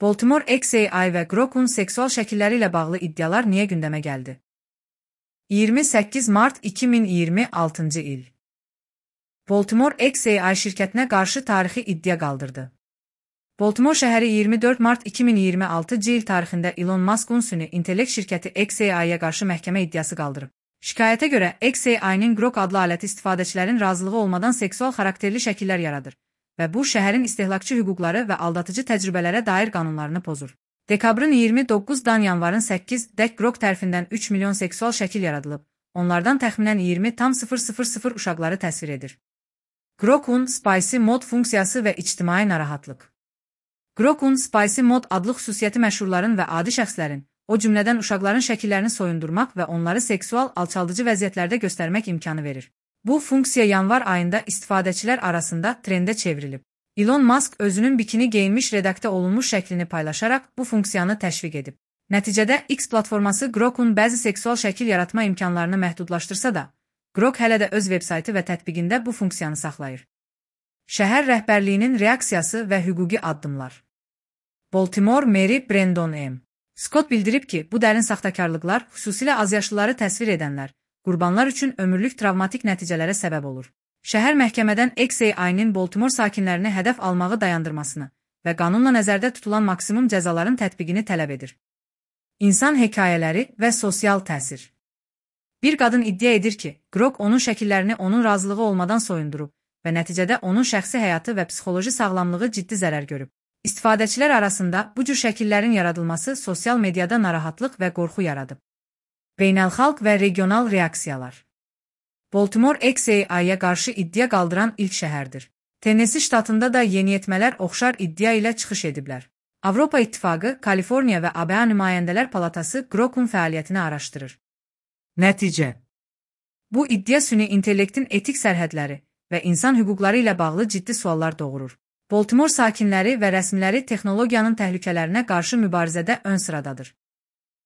Baltimore XAI və Grok'un seksual şəkilləri ilə bağlı iddialar niyə gündəmə gəldi? 28 mart 2026-cı il. Baltimore XAI şirkətinə qarşı tarixi iddia qaldırdı. Baltimore şəhəri 24 mart 2026-cı il tarixində Elon Musk'un süni intellekt şirkəti XAI-yə qarşı məhkəmə iddiası qaldırıb. Şikayətə görə XAI-nin Grok adlı aləti istifadəçilərin razılığı olmadan seksual xarakterli şəkillər yaradır və bu şəhərin istehlakçı hüquqları və aldatıcı təcrübələrə dair qanunlarını pozur. Dekabrın 29-dan yanvarın 8-dək Grok tərəfindən 3 milyon seksual şəkil yaradılıb, onlardan təxminən 20,000 uşaqları təsvir edir. Grok'un Spicy Mode funksiyası və ictimai narahatlıq. Grok'un Spicy Mode adlı xüsusiyyəti məşhurların və adi şəxslərin, o cümlədən uşaqların şəkillərini soyundurmaq və onları seksual alçaldıcı vəziyyətlərdə göstərmək imkanı verir. Bu funksiya yanvar ayında istifadəçilər arasında trendə çevrilib. Elon Musk özünün bikini geyinmiş redaktə olunmuş şəklini paylaşaraq bu funksiyanı təşviq edib. Nəticədə X platforması Grok'un bəzi seksual şəkil yaratma imkanlarını məhdudlaşdırsa da, Grok hələ də öz veb-saytı və tətbiqində bu funksiyanı saxlayır. Şəhər rəhbərliyinin reaksiyası və hüquqi addımlar. Baltimore meri Brandon M. Scott bildirib ki, bu dərin saxtakarlıqlar, xüsusilə azyaşlıları təsvir edənlər, qurbanlar üçün ömürlük travmatik nəticələrə səbəb olur. Şəhər məhkəmədən XAI-nin Baltimore sakinlərini hədəf almağı dayandırmasını və qanunla nəzərdə tutulan maksimum cəzaların tətbiqini tələb edir. İnsan hekayələri və sosial təsir. Bir qadın iddia edir ki, Grok onun şəkillərini onun razılığı olmadan soyundurub və nəticədə onun şəxsi həyatı və psixoloji sağlamlığı ciddi zərər görüb. İstifadəçilər arasında bu cür şəkillərin yaradılması sosial mediada narahatlıq və qorxu yaradıb. Beynəlxalq və regional reaksiyalar. Baltimore XAI-yə qarşı iddia qaldıran ilk şəhərdir. Tennessee ştatında da yeniyetmələr oxşar iddia ilə çıxış ediblər. Avropa İttifaqı, Kaliforniya və ABA Nümayəndələr Palatası Grok'un fəaliyyətini araşdırır. Nəticə. Bu iddia süni intellektin etik sərhədləri və insan hüquqları ilə bağlı ciddi suallar doğurur. Baltimore sakinləri və rəsmiləri texnologiyanın təhlükələrinə qarşı mübarizədə ön sıradadır.